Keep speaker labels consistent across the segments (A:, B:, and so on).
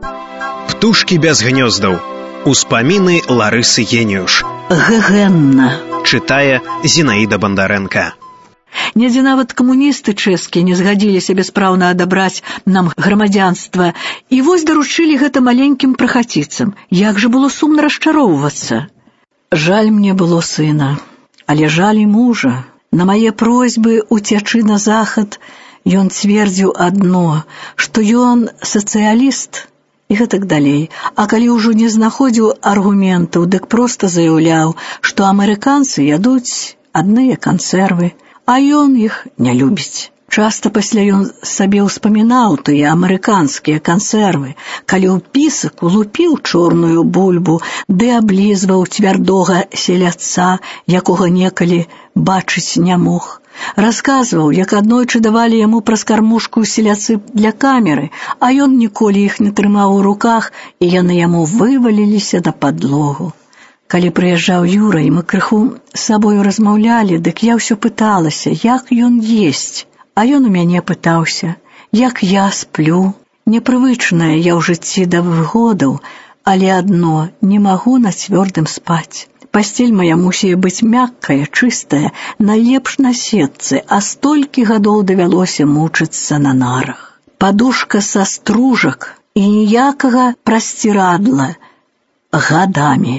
A: Птушкі без гнёздаў. Успаміны Ларысы Геніюш.
B: Гэгэнна.
A: Чытае Зінаіда Бандарэнка.
B: Недзе нават камуністы чэшскія не згадзіліся бяспраўна адабраць нам грамадзянства. І вось даручылі гэта маленькім прахаціцам. Як жа было сумна расчароўвацца. Жаль мне было сына, але жаль і мужа. На мае просьбы уцячы на захад ён цвердзіў адно, што ён сацыяліст і гэтак далей. А калі ўжо не знаходзіў аргументаў, дык проста заяўляў, што амерыканцы ядуць адныя кансервы, а ён іх не любіць. Часта пасля ён сабе ўспамінаў тыя амерыканскія кансервы, калі ў пісак улупіў чорную бульбу, ды аблізваў цвярдога селядца, якога некалі бачыць не мог. Расказваў, як аднойчы давалі яму праз кармушку селядцы для камеры, а ён ніколі іх не трымаў у руках, і яны яму вываліліся на падлогу. Калі прыязджаў Юра, і мы крыху з сабою размаўлялі, дык я ўсё пыталася, як ён есць. А ён у мяне пытаўся, як я сплю. Непрывычная я ў жыцці да выгодаў, але адно, не магу на цвёрдым спаць. Пасцель моя мусіе быць мяккая, чыстая, найлепш на сетцы, а столькі гадоў давялося мучыцца на нарах. Падушка са стружак і ніякага прасцірадла гадамі.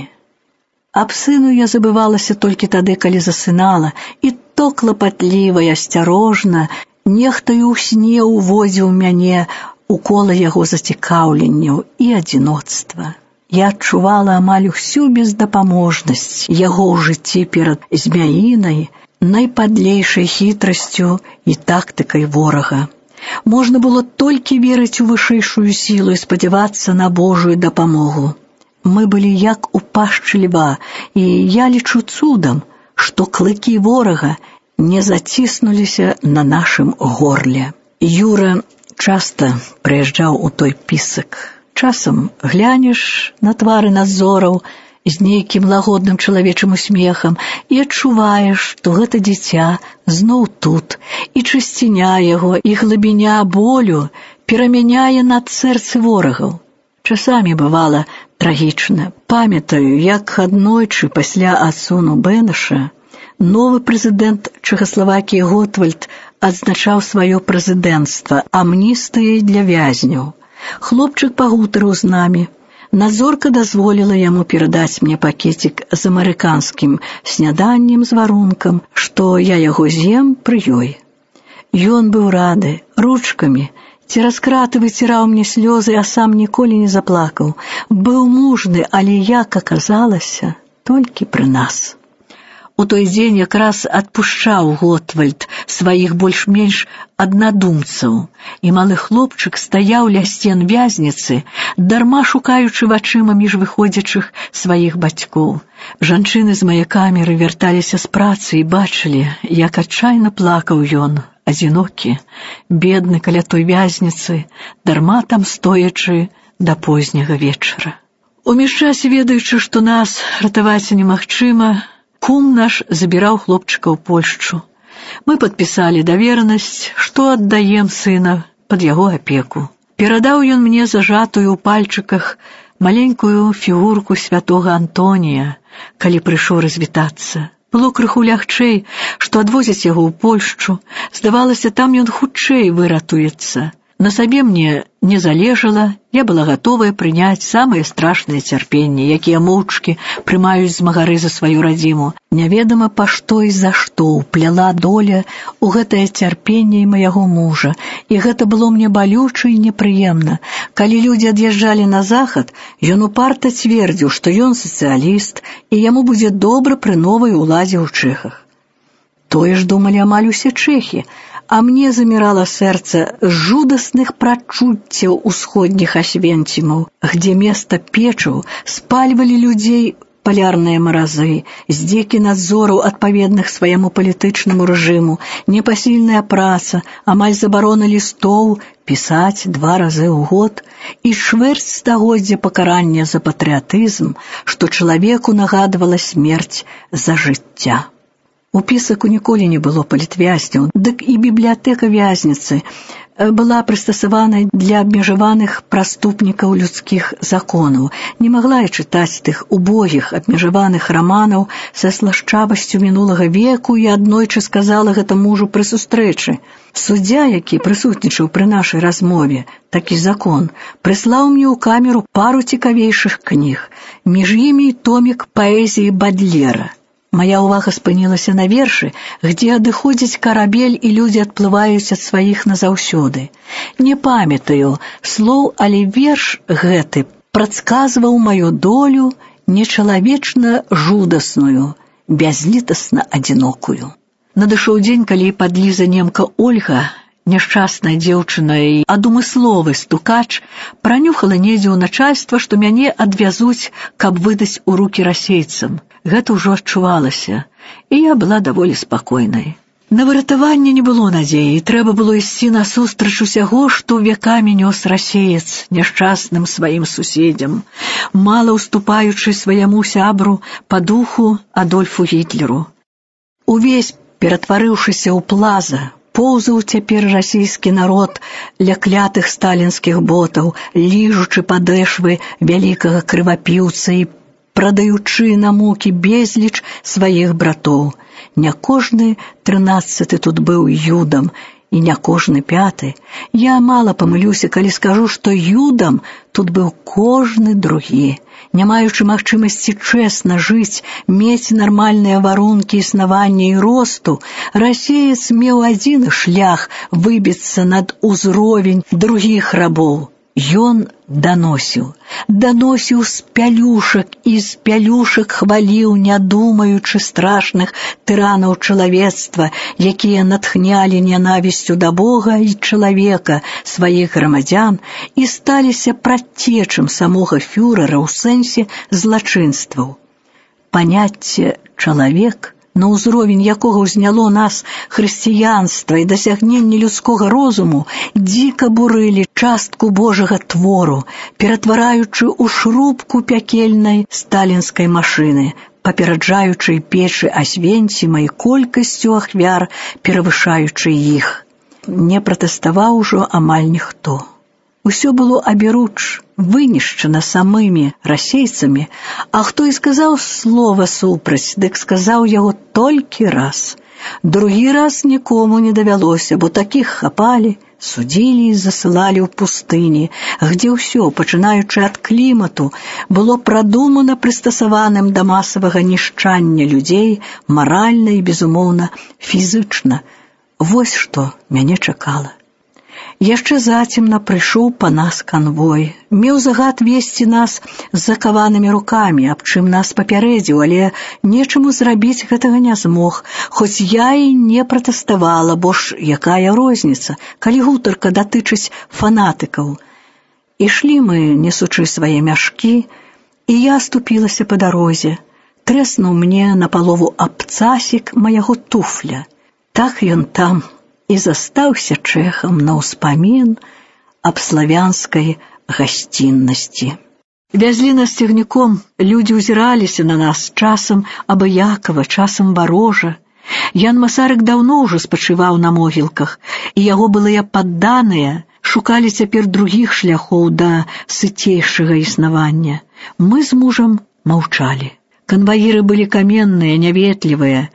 B: Аб сыну я забывалася толькі тады, калі засынала, і то клапатліва і асцярожна, нехтаю ў сне уводзіў мяне у кола яго зацікаўленняў і адзіноцтва. Я адчувала амаль усю бездапаможнасць яго ў жыцці перад змяінай, найпадлейшай хітрасцю і тактыкай ворага. Можна было толькі верыць у вышэйшую сілу і спадзявацца на Божую дапамогу. Мы былі як у пашчы льва, і я лічу цудам, што клыкі ворага не заціснуліся на нашым горле. Юра часта прыязджаў у той пісак. Часам глянеш на твары надзораў з нейкім лагодным чалавечым усмехам і адчуваеш, што гэта дзіця зноў тут, і чысціня яго, і глыбіня болю перамяняе над сэрцы ворагаў. Часамі бывала трагічна. Памятаю, як аднойчы пасля адсуну Бэнаша новы прэзідэнт Чэхаславакіі Готвальд адзначаў сваё прэзідэнцтва амністыяй для вязняў. Хлопчык пагутарыў з намі. Надзорка дазволіла яму перадаць мне пакетик з амерыканскім сняданнем з варункам, што я яго з'ем пры ёй. Ён быў рады, ручкамі, цераз краты выціраў мне слёзы, а сам ніколі не заплакаў. Быў мужны, але, як аказалася, толькі пры нас. У той дзень якраз адпушчаў Готвальд сваіх больш-менш аднадумцаў, і малы хлопчык стаяў ля сцен вязніцы, дарма шукаючы вачыма між выходзячых сваіх бацькоў. Жанчыны з мае камеры вярталіся з працы і бачылі, як адчайна плакаў ён, адзінокі, бедны каля той вязніцы, дарма там стоячы да позняга вечара. У міжчасе, ведаючы, што нас ратаваць немагчыма, кум наш забіраў хлопчыка ў Польшчу. Мы падпісалі даверанасць, што аддаем сына пад яго апеку. Перадаў ён мне зажатую ў пальчыках маленькую фігурку святога Антонія, калі прыйшоў развітацца. Было крыху лягчэй, што адвозяць яго ў Польшчу. Здавалася, там ён хутчэй выратуецца. На сабе мне не залежала, я была гатовая прыняць самыя страшныя цярпенні, якія моўчкі прымаюць змагары за сваю радзіму. Няведама па што і за што ўпляла доля ў гэтае цярпенне і майго мужа, і гэта было мне балюча і непрыемна. Калі людзі ад'язджалі на захад, ён упарта цвердзіў, што ён сацыяліст, і яму будзе добра пры новай уладзе ў Чэхах. Тое ж думалі амаль усе чэхі, а мне замірала сэрца з жудасных прачуццяў усходніх Асвенцімаў, где места печаў спальвалі людзей палярныя маразы, здзекі надзораў адпаведных свайму палітычнаму рэжыму, непасільная праца, амаль забарона лістоў пісаць 2 разы ў год і чвэрць стагоддзя пакарання за патрыятызм, што чалавеку нагадвала смерць за жыцця. У пісаку ніколі не было палітвязняў, дык і бібліятэка вязніцы была прыстасаванай для абмежаваных праступнікаў людскіх законаў. Не магла я чытаць тых убогіх абмежаваных раманаў са слашчавасцю мінулага веку і аднойчы сказала гэта мужу пры сустрэчы. Суддзя, які прысутнічаў пры нашай размове, такі закон, прыслаў мне ў камеру пару цікавейшых кніг, між імі томік паэзіі Бадлера. Моя увага спынілася на вершы, где адыходзіць карабель і людзі адплываюць ад сваіх назаўсёды. Не памятаю слоў, але верш гэты прадказваў маю долю нечалавечна жудасную, бязлітасна адзінокую. Надышоў дзень, калі падліза немка Ольга, няшчасная дзеўчына і адумысловы стукач, пранюхала недзе ў начальства, што мяне адвязуць, каб выдаць у рукі расейцам. Гэта ўжо адчувалася, і я была даволі спакойнай. На выратаванне не было надзеі, трэба было ісці насустрач усяго, што векамі нёс расеец няшчасным сваім суседзям, мала уступаючы сваяму сябру па духу Адольфу Гітлеру. Увесь ператварыўшыся ў плаза, поўзаў цяпер расійскі народ ля клятых сталінскіх ботаў, ліжучы падэшвы вялікага крывапіўца і прадаючы на мукі безліч сваіх братоў. Не кожны 13 тут быў юдам, і не кожны 5. Я мала памылюся, калі скажу, што юдам тут быў кожны другі. Не маючы магчымасці чэсна жыць, мець нармальныя варункі існавання і росту, расеец меў адзін шлях выбіцца над узровень другіх рабоў. Ён даносіў з пялюшак і з пялюшак хваліў, не думаючы страшных тыранаў чалавецтва, якія натхнялі нянавісцю да Бога і чалавека сваіх грамадзян і сталіся прадцечым самога фюрэра ў сэнсе злачынстваў. Паняцце «чалавек», на ўзровень якога ўзняло нас хрысціянства і дасягненне людскога розуму, дзіка бурылі частку Божага твору, ператвараючы ў шрубку пякельнай сталінскай машыны, папераджаючы печы Асвенціма і колькасцю ахвяр, перавышаючы іх. Не пратэставаў ужо амаль ніхто. Усё было аберуч, вынішчана самымі расейцамі, а хто і сказаў слова супраць, дык сказаў яго толькі раз. Другі раз нікому не давялося, бо такіх хапалі, судзілі і засылалі ў пустыні, где ўсё, пачынаючы ад клімату, было прадумана прыстасаваным да масавага нішчання людзей маральна і, безумоўна, фізычна. Вось што мяне чакала. Яшчэ зацемна прыйшоў па нас канвой. Меў загад весці нас з закаванымі рукамі, аб чым нас папярэдзіў, але нечаму зрабіць гэтага не змог, хоць я і не пратэставала, бо ж якая розніца, калі гутарка датычыць фанатыкаў. Ішлі мы, несучы свае мяшкі, і я ступілася па дарозе. Трэснуў мне напалову абцасік маяго туфля. Так ён там і застаўся чэхам на ўспамін аб славянскай гасціннасці. Вязлі нас цягніком, людзі ўзіраліся на нас, часам абыякава, часам варожа. Ян Масарык даўно ўжо спачываў на могілках, і яго былыя падданыя шукалі цяпер другіх шляхоў да сыцейшага існавання. Мы з мужам маўчалі. Канваіры былі каменныя, няветлівыя.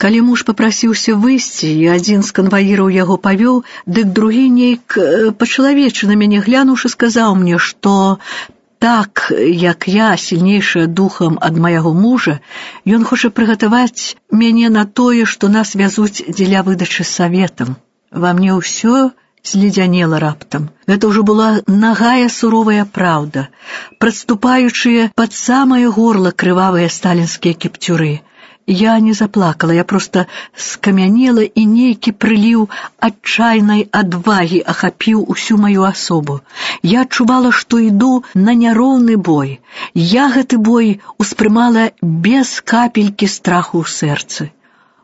B: Калі муж папрасіўся выйсці, і адзін з канваіраў яго павёў, дык другі нейк па-чалавечы на мяне глянуўшы сказаў мне, што так, як я, сільнейшая духам ад майго мужа, ён хоча прыгатаваць мяне на тое, што нас вязуць дзеля выдачы саветам. Ва мне ўсё зледзянела раптам. Гэта ўжо была нагая суровая праўда, прадступаючыя пад самае горла крывавыя сталінскія кіпцюры. Я не заплакала, я проста скамянела, і нейкі прыліў адчайнай адвагі ахапіў усю маю асобу. Я адчувала, што іду на няроўны бой. Я гэты бой успрымала без капелькі страху ў сэрцы.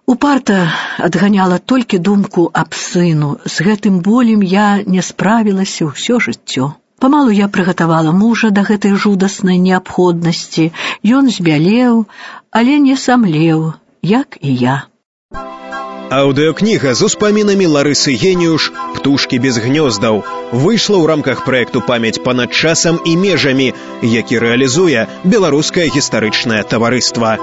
B: Упарта адганяла толькі думку аб сыну. З гэтым болем я не справілася ўсё жыццё. Памалу я прыгатавала мужа да гэтай жудаснай неабходнасці. Ён збялеў, але не самлеў, як і я.
A: Аўдыёкніга з успамінамі Ларысы Геніюш «Птушкі без гнёздаў» выйшла ў рамках праекту «Памяць панад часам і межамі», які рэалізуе Беларускае гістарычнае таварыства.